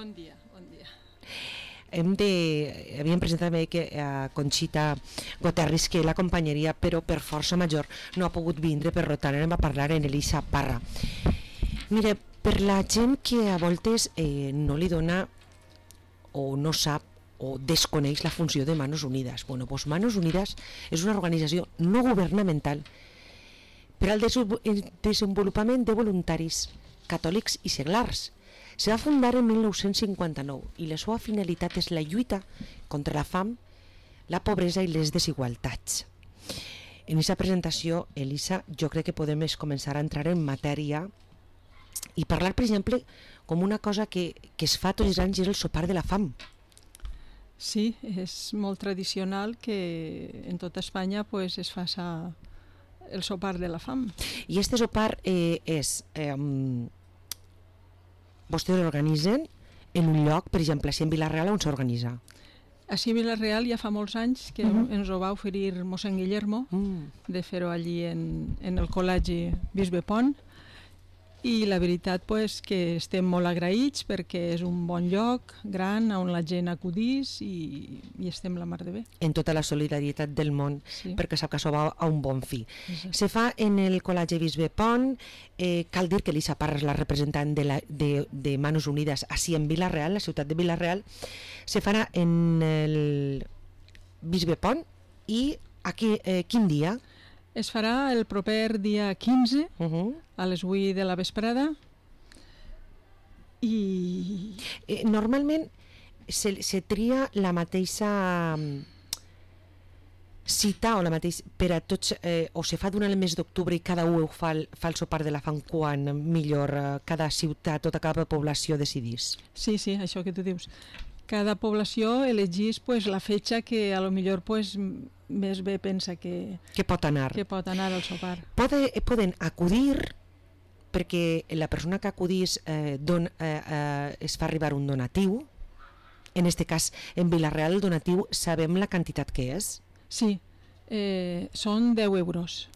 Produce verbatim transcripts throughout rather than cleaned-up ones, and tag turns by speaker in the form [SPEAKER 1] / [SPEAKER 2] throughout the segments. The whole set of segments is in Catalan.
[SPEAKER 1] Bon dia, bon dia.
[SPEAKER 2] Hem de, havíem presentat que a Conxita Goterris, que l'acompanyaria, però per força major no ha pogut vindre, per tant anem a parlar en Elisa Parra. Mira, per la gent que a voltes eh, no li dona o no sap o desconeix la funció de Manos Unidas. Bueno, doncs Manos Unidas és una organització no governamental per al desenvolupament de voluntaris catòlics i seglars. Se va fundar en mil nou-cents cinquanta-nou i la seva finalitat és la lluita contra la fam, la pobresa i les desigualtats. En aquesta presentació, Elisa, jo crec que podem començar a entrar en matèria i parlar, per exemple, com una cosa que, que es fa tots els anys, és el sopar de la fam.
[SPEAKER 1] Sí, és molt tradicional que en tota Espanya pues, es faça el sopar de la fam.
[SPEAKER 2] I este sopar eh, és... Eh, vostès l'organitzen en un lloc, per exemple, si en Vila-real, on s'organitza?
[SPEAKER 1] Així a Vila-real ja fa molts anys que uh -huh. ens ho va oferir mossèn Guillermo mm. de fer-ho allí en, en el col·legi Bisbe Pont, i la veritat pues, que estem molt agraïts perquè és un bon lloc gran on la gent acudís i, i estem la mar de bé.
[SPEAKER 2] En tota la solidaritat del món, sí. Perquè sap que això va a un bon fi.
[SPEAKER 1] Exacte.
[SPEAKER 2] Se fa en el col·legi Bisbe Pont, eh, cal dir que Elisa Parra és la representant de, la, de, de Manos Unidas així en Vila-real, la ciutat de Vila-real. Se farà en el Bisbe Pont i aquí, eh, quin dia?
[SPEAKER 1] Es farà el proper dia quinze
[SPEAKER 2] uh -huh.
[SPEAKER 1] a les vuit de la vesprada i...
[SPEAKER 2] Eh, normalment se, se tria la mateixa cita o la mateixa per a tots, eh, o se fa durant el mes d'octubre i cada un fa el, fa el sopar de la fam quan millor eh, cada ciutat, tota cada població decidís.
[SPEAKER 1] Sí, sí, això que tu dius. Cada població elegís pues, la fetge que a lo millor pues, més bé pensa que,
[SPEAKER 2] que pot anar
[SPEAKER 1] que pot anar al sopar.
[SPEAKER 2] Pode, poden acudir perquè la persona que acudís eh, don, eh, eh, es fa arribar un donatiu. En este cas, en Vila-real el donatiu sabem la quantitat que és?
[SPEAKER 1] Sí, eh, són deu euros.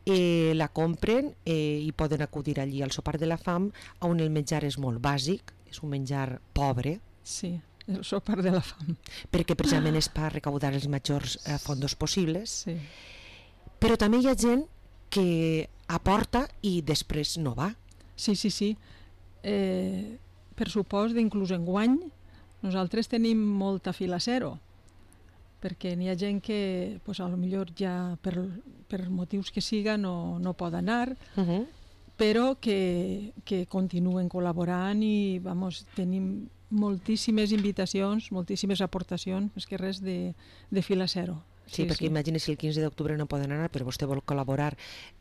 [SPEAKER 2] Eh, la compren eh, i poden acudir allí al sopar de la fam, on el menjar és molt bàsic, és un menjar pobre.
[SPEAKER 1] Sí, el sopar de la fam.
[SPEAKER 2] Perquè precisament és per recaudar els majors eh, fondos possibles.
[SPEAKER 1] Sí.
[SPEAKER 2] Però també hi ha gent que aporta i després no va.
[SPEAKER 1] Sí, sí, sí. Eh, per supost d'inclús enguany nosaltres tenim molta fila zero, perquè n'hi ha gent que pues, a lo millor ja per, per motius que siga no, no pot anar, uh -huh. però que, que continuen col·laborant i vamos, tenim moltíssimes invitacions, moltíssimes aportacions, més que res de, de fila zero.
[SPEAKER 2] Sí, sí, perquè sí. Imagina si el quinze d'octubre no poden anar, però vostè vol col·laborar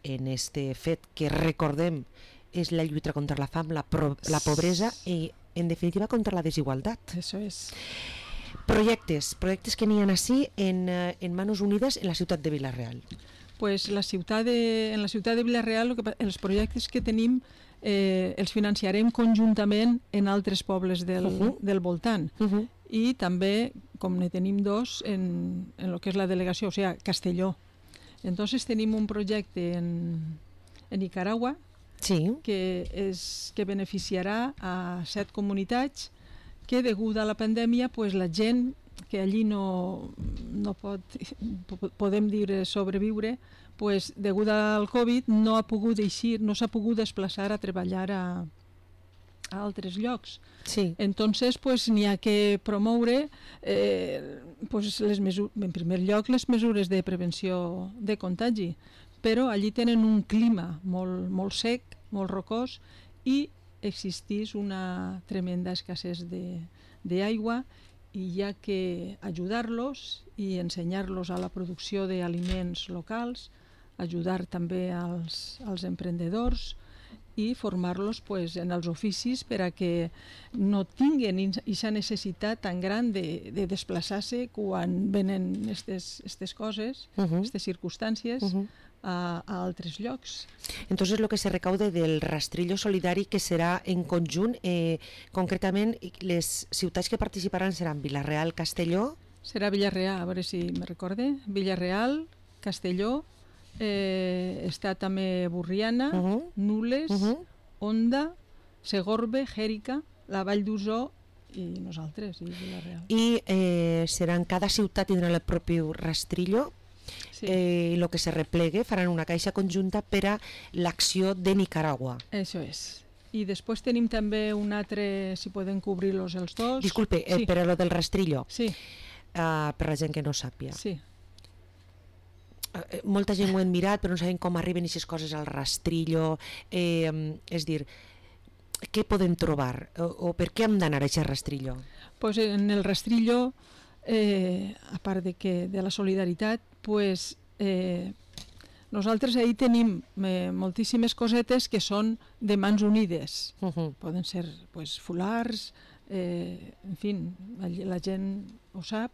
[SPEAKER 2] en este fet que recordem és la lluita contra la fam, la, pro, la pobresa i en definitiva contra la desigualtat.
[SPEAKER 1] Això és.
[SPEAKER 2] Projectes, projectes que n'hi ha així en, en Manos Unidas en la ciutat de Vila-real.
[SPEAKER 1] Pues la ciutat de, en la ciutat de Vila-real que, els projectes que tenim eh, els financiarem conjuntament en altres pobles del, uh -huh. del voltant. Uh -huh. I també, com ne tenim dos, en, en el que és la delegació, o sigui, Castelló. Entonces tenim un projecte en, en Nicaragua
[SPEAKER 2] sí.
[SPEAKER 1] que, és, que beneficiarà a set comunitats que degut a la pandèmia pues, la gent que allí no, no pot, podem dir, sobreviure, pues, degut al Covid no ha pogut eixir, no s'ha pogut desplaçar a treballar a, a altres llocs.
[SPEAKER 2] Sí.
[SPEAKER 1] Entonces, pues, n'hi ha que promoure eh, pues, les mesures, en primer lloc les mesures de prevenció de contagi, però allí tenen un clima molt, molt sec, molt rocós i existís una tremenda escassez d'aigua i hi ha que ajudar-los i ensenyar-los a la producció d'aliments locals, ajudar també als, als emprendedors i formar-los pues, en els oficis per a que no tinguin aquesta necessitat tan gran de, de desplaçar-se quan venen aquestes coses, aquestes uh -huh. circumstàncies, uh -huh. a, a altres llocs.
[SPEAKER 2] Entonces lo que se recaude del rastrillo solidari que serà en conjunt, eh, concretament les ciutats que participaran seran Vila-real, Castelló...
[SPEAKER 1] Serà Vila-real, a veure si me recorde, Vila-real, Castelló, eh, està també Borriana, uh-huh. Nules, uh-huh. Onda, Segorbe, Jèrica, la Vall d'Uso i nosaltres, i Vila-real.
[SPEAKER 2] I eh, seran, cada ciutat tindrà el propi rastrillo, sí. eh, i el que se replegue faran una caixa conjunta per a l'acció de Nicaragua.
[SPEAKER 1] Això és. I després tenim també un altre, si poden cobrir-los els dos.
[SPEAKER 2] Disculpe, eh,
[SPEAKER 1] sí.
[SPEAKER 2] per a lo del rastrillo,
[SPEAKER 1] sí.
[SPEAKER 2] uh, per la gent que no sàpia.
[SPEAKER 1] Sí.
[SPEAKER 2] Uh, molta gent ho han mirat, però no saben com arriben aquestes coses al rastrillo, eh, és dir, què podem trobar o, o per què hem d'anar a aquest rastrillo?
[SPEAKER 1] Pues en el rastrillo, eh, a part de, que, de la solidaritat, pues, eh, nosaltres ahí tenim eh, moltíssimes cosetes que són de mans unides. Uh-huh. Poden ser pues, fulars, eh, en fi, la, la gent ho sap.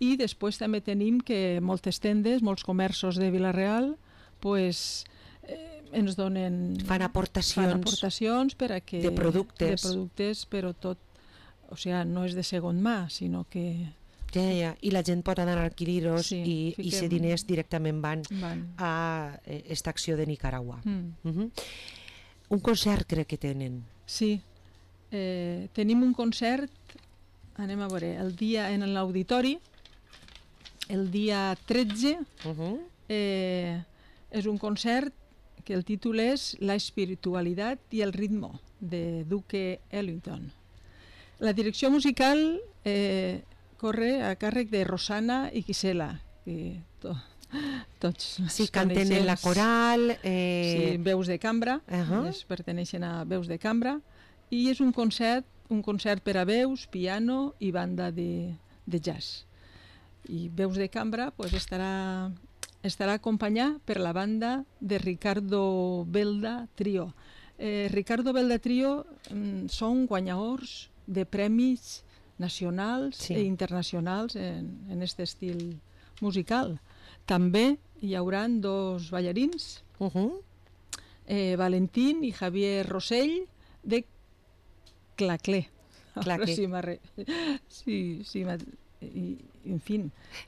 [SPEAKER 1] I després també tenim que moltes tendes, molts comerços de Vila-real, pues, eh, ens donen...
[SPEAKER 2] Fan aportacions,
[SPEAKER 1] fan aportacions per a que,
[SPEAKER 2] de productes.
[SPEAKER 1] De productes, però tot, o sigui, no és de segon mà, sinó que...
[SPEAKER 2] Ja, ja, i la gent pot anar a adquirir-los sí, i aquests diners directament van, van. a aquesta acció de Nicaragua. Mm. Uh-huh. Un concert crec que tenen.
[SPEAKER 1] Sí, eh, tenim un concert, anem a veure, el dia en l'auditori, el dia tretze, uh-huh. eh, és un concert que el títol és La espiritualitat i el ritmo, de Duke Ellington. La direcció musical eh, corre a càrrec de Rosana i Gisela, que to, tots
[SPEAKER 2] sí, canten en la coral. Eh...
[SPEAKER 1] Sí, veus de cambra, uh-huh. es perteneixen a veus de cambra, i és un concert, un concert per a veus, piano i banda de, de jazz. I veus de cambra pues, estarà... estarà acompanyat per la banda de Ricardo Belda Trio. Eh, Ricardo Belda Trio mm, són guanyadors de premis nacionals sí. i internacionals en, en aquest estil musical. També hi haurà dos ballarins, uh-huh. eh, Valentín i Javier Rossell, de Claclé.
[SPEAKER 2] Claclé.
[SPEAKER 1] Sí, sí, sí, i, en fi,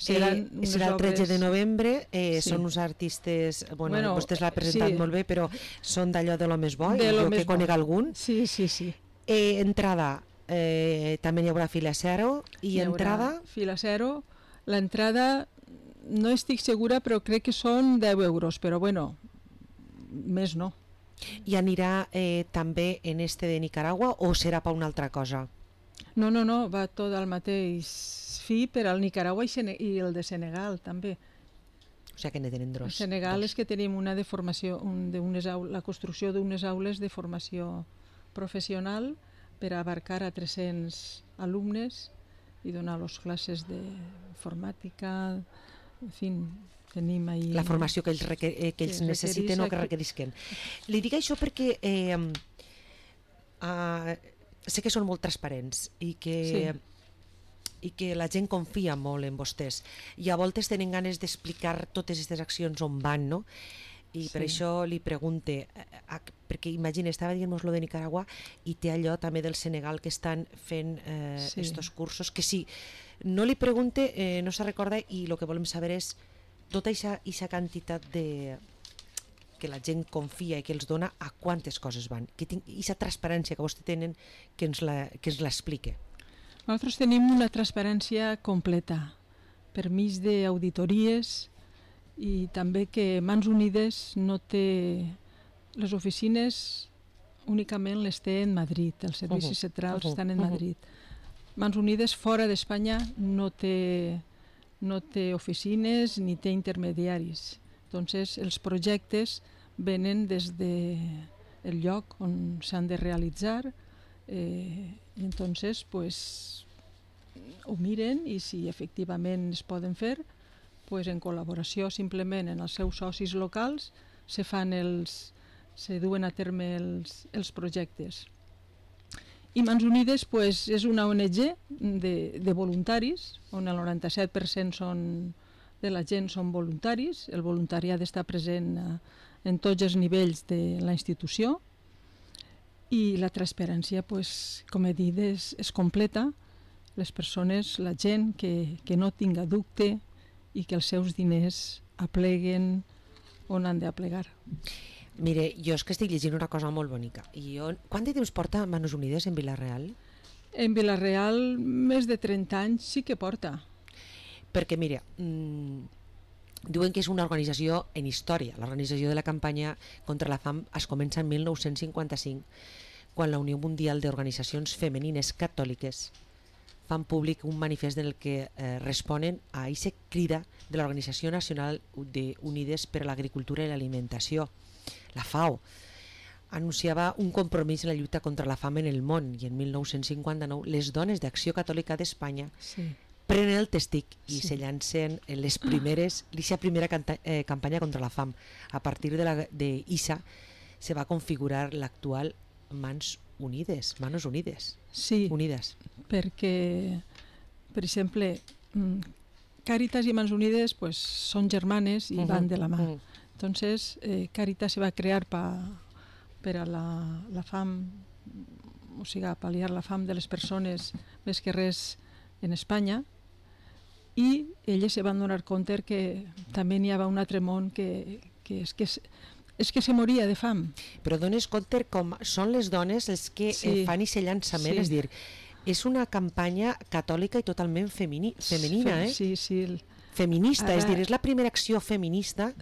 [SPEAKER 1] seran
[SPEAKER 2] eh, serà el tretze de novembre, eh, sí. Són uns artistes, bueno, bueno vostès l'ha presentat sí. molt bé, però són d'allò de lo més bo, de jo que conec algun.
[SPEAKER 1] Sí, sí, sí.
[SPEAKER 2] Eh, entrada, eh, també hi haurà fila zero, i entrada?
[SPEAKER 1] Fila zero, l'entrada no estic segura, però crec que són deu euros, però bueno, més no.
[SPEAKER 2] I anirà eh, també en este de Nicaragua o serà per una altra cosa?
[SPEAKER 1] No, no, no, va tot al mateix fi per al Nicaragua i, Sene i el de Senegal també.
[SPEAKER 2] O sigui que ne tenen dos.
[SPEAKER 1] El Senegal dos. És que tenim una de formació, un, de unes aules, la construcció d'unes aules de formació professional per abarcar a tres-cents alumnes i donar-los classes d'informàtica, en fi, tenim ahí...
[SPEAKER 2] La formació que ells, requer eh, que ells que necessiten o que requerisquen. Li dic això perquè... Eh, uh, sé que són molt transparents i que, sí. i que la gent confia molt en vostès i a voltes tenen ganes d'explicar totes aquestes accions on van, no? I sí. Per això li pregunte, a, perquè imagina, estava dient-nos lo de Nicaragua i té allò també del Senegal que estan fent eh, sí. estos cursos, que sí, no li pregunte, eh, no se recorda i el que volem saber és tota aquesta quantitat de... que la gent confia i que els dona a quantes coses van. Que tinc aquesta transparència que vostè tenen que ens l'explique.
[SPEAKER 1] Nosaltres tenim una transparència completa, permís d'auditories i també que Mans Unides no té... Les oficines únicament les té en Madrid, els servicis uh-huh. centrals uh-huh. estan en Madrid. Uh-huh. Mans Unides fora d'Espanya no té, no té oficines ni té intermediaris. Entonces, els projectes venen des del de lloc on s'han de realitzar eh, i entonces pues, ho miren i si efectivament es poden fer, pues, en col·laboració simplement en els seus socis locals se fan els, se duen a terme els, els projectes. I Mans Unides pues, és una O N G de, de voluntaris, on el noranta-set per cent són de la gent són voluntaris, el voluntariat està present eh, en tots els nivells de la institució i la transparència, pues, com he dit, és, és completa. Les persones, la gent que, que no tinga dubte i que els seus diners apleguen on han d'aplegar.
[SPEAKER 2] Mire, jo és que estic llegint una cosa molt bonica. I jo, quant de temps porta Mans Unides en Vila-real?
[SPEAKER 1] En Vila-real més de trenta anys sí que porta.
[SPEAKER 2] Perquè, mira, mmm, diuen que és una organització en història. L'organització de la campanya contra la fam es comença en mil nou-cents cinquanta-cinc, quan la Unió Mundial d'Organitzacions Femenines Catòliques fan públic un manifest en el que eh, responen a aquesta crida de l'Organització Nacional de Unides per a l'Agricultura i l'Alimentació, la FAO. Anunciava un compromís en la lluita contra la fam en el món, i en mil nou-cents cinquanta-nou les dones d'Acció Catòlica d'Espanya sí. prenen el testic i sí. se llancen en les primeres, l'I S A primera canta, eh, campanya contra la fam. A partir de, la, de I S A se va configurar l'actual Mans Unides, Manos Unides.
[SPEAKER 1] Sí,
[SPEAKER 2] Unides.
[SPEAKER 1] Perquè, per exemple, Càritas i Mans Unides pues, són germanes i uh -huh, van de la mà. Uh -huh. Entonces, eh, Càritas se va crear pa, per a la, la fam, o sigui, a pal·liar la fam de les persones més que res en Espanya, i elles se van donar compte que també n'hi havia un altre món que, que és que és, és que se moria de fam.
[SPEAKER 2] Però dones compte com són les dones els que sí. eh, fan aquest llançament, sí. és dir, és una campanya catòlica i totalment femini, femenina, eh?
[SPEAKER 1] Sí, sí. El...
[SPEAKER 2] Feminista, Ara... és dir, és la primera acció feminista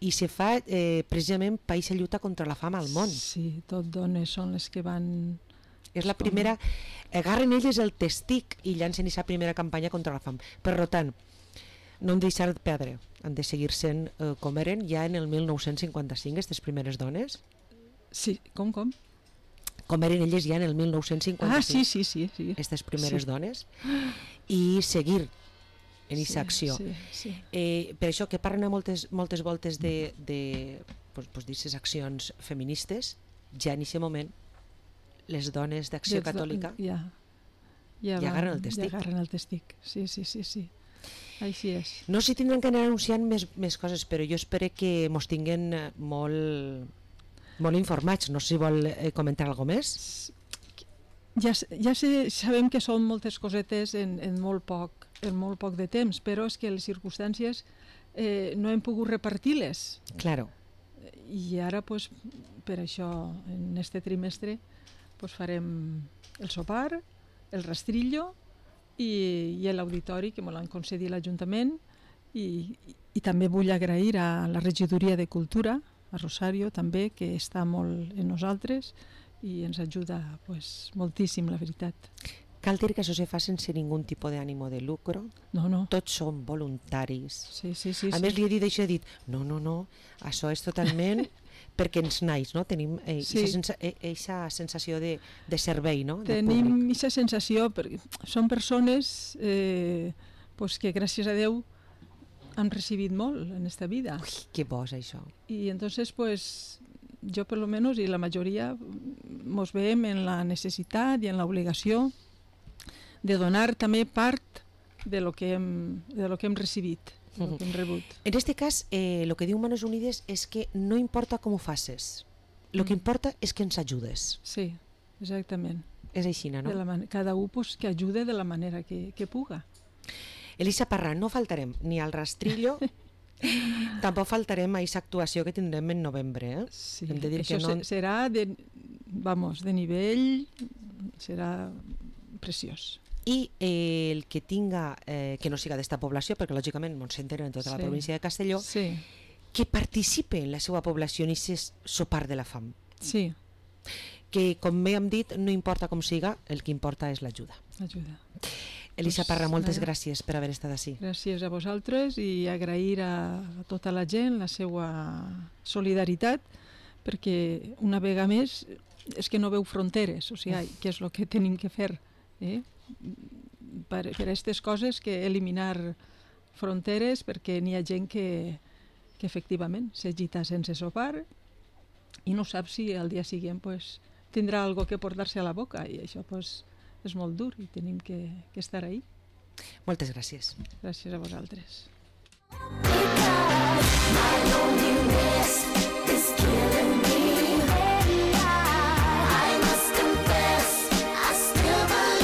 [SPEAKER 2] i se fa eh, precisament per aquesta lluita contra la fam al món.
[SPEAKER 1] Sí, tot dones són les que van...
[SPEAKER 2] És la primera... Agarren elles el testic i llancen aquesta primera campanya contra la fam. Per tant, no hem de deixar de perdre, han de seguir sent eh, com eren ja en el mil nou-cents cinquanta-cinc, aquestes primeres dones.
[SPEAKER 1] Sí, com, com?
[SPEAKER 2] Com eren elles ja en el mil nou-cents cinquanta-cinc.
[SPEAKER 1] Ah, sí, sí, sí. sí.
[SPEAKER 2] Aquestes primeres
[SPEAKER 1] sí.
[SPEAKER 2] dones. I seguir en aquesta
[SPEAKER 1] sí,
[SPEAKER 2] acció.
[SPEAKER 1] Sí, sí.
[SPEAKER 2] Eh, per això que parlen a moltes, moltes voltes de, de pues, pues, d'aquestes accions feministes, ja en aquest moment les dones d'Acció Catòlica
[SPEAKER 1] ja, ja,
[SPEAKER 2] ja agarren el testic.
[SPEAKER 1] Ja agarren el testic, sí, sí, sí, sí. Així és.
[SPEAKER 2] No sé si tindran que anar anunciant més, més coses, però jo espero que mos tinguen molt, molt informats. No sé si vol eh, comentar alguna més.
[SPEAKER 1] Ja, ja sé, sabem que són moltes cosetes en, en, molt poc, en molt poc de temps, però és que les circumstàncies eh, no hem pogut repartir-les.
[SPEAKER 2] Claro.
[SPEAKER 1] I ara, pues, per això, en este trimestre, pues, farem el sopar, el rastrillo i, i l'auditori, que me l'han concedit l'Ajuntament, i, i, i també vull agrair a la Regidoria de Cultura, a Rosario també, que està molt en nosaltres i ens ajuda pues, moltíssim, la veritat.
[SPEAKER 2] Cal dir que això se fa sense ningú tipus d'ànimo de lucro?
[SPEAKER 1] No, no.
[SPEAKER 2] Tots són voluntaris.
[SPEAKER 1] Sí, sí, sí.
[SPEAKER 2] A
[SPEAKER 1] sí.
[SPEAKER 2] més, li he dit això, he dit, no, no, no, això és totalment perquè ens naix, no? Tenim aquesta eh, sí. sensa, sensació de, de servei, no?
[SPEAKER 1] Tenim aquesta sensació, perquè són persones eh, pues que gràcies a Déu han recibit molt en esta vida.
[SPEAKER 2] Ui, que bo és això.
[SPEAKER 1] I entonces, pues, jo per lo menos i la majoria mos veiem en la necessitat i en l'obligació de donar també part de lo que hem, de lo que hem recibit, de lo que hem rebut.
[SPEAKER 2] En este cas, eh, lo que diu Manos Unides és que no importa com ho faces, lo que importa és que ens ajudes.
[SPEAKER 1] Sí, exactament.
[SPEAKER 2] És així, no?
[SPEAKER 1] De la man- cada un pues, que ajude de la manera que, que puga.
[SPEAKER 2] Elisa Parra, no faltarem ni al rastrillo, tampoc faltarem a aquesta actuació que tindrem en novembre. Eh?
[SPEAKER 1] Sí,
[SPEAKER 2] Hem de dir
[SPEAKER 1] això
[SPEAKER 2] que no...
[SPEAKER 1] serà de, vamos, de nivell, serà preciós.
[SPEAKER 2] I eh, el que tinga, eh, que no siga d'esta població, perquè lògicament ens s'enteren en tota
[SPEAKER 1] sí.
[SPEAKER 2] la província de Castelló,
[SPEAKER 1] sí.
[SPEAKER 2] que participe en la seva població en aquest sopar de la fam.
[SPEAKER 1] Sí.
[SPEAKER 2] Que, com bé hem dit, no importa com siga, el que importa és l'ajuda.
[SPEAKER 1] Ajuda.
[SPEAKER 2] Elisa
[SPEAKER 1] pues,
[SPEAKER 2] Parra, moltes
[SPEAKER 1] nada.
[SPEAKER 2] gràcies per haver estat així.
[SPEAKER 1] Gràcies a vosaltres i agrair a, a tota la gent la seva solidaritat, perquè una vegada més és que no veu fronteres, o sigui, què és el que tenim que fer, eh? per, per aquestes coses, que eliminar fronteres, perquè n'hi ha gent que, que efectivament s'agita sense sopar i no sap si al dia següent pues, tindrà algo que portar-se a la boca, i això pues, és molt dur i tenim que, que estar ahí.
[SPEAKER 2] Moltes gràcies.
[SPEAKER 1] Gràcies a vosaltres.
[SPEAKER 3] Because my loneliness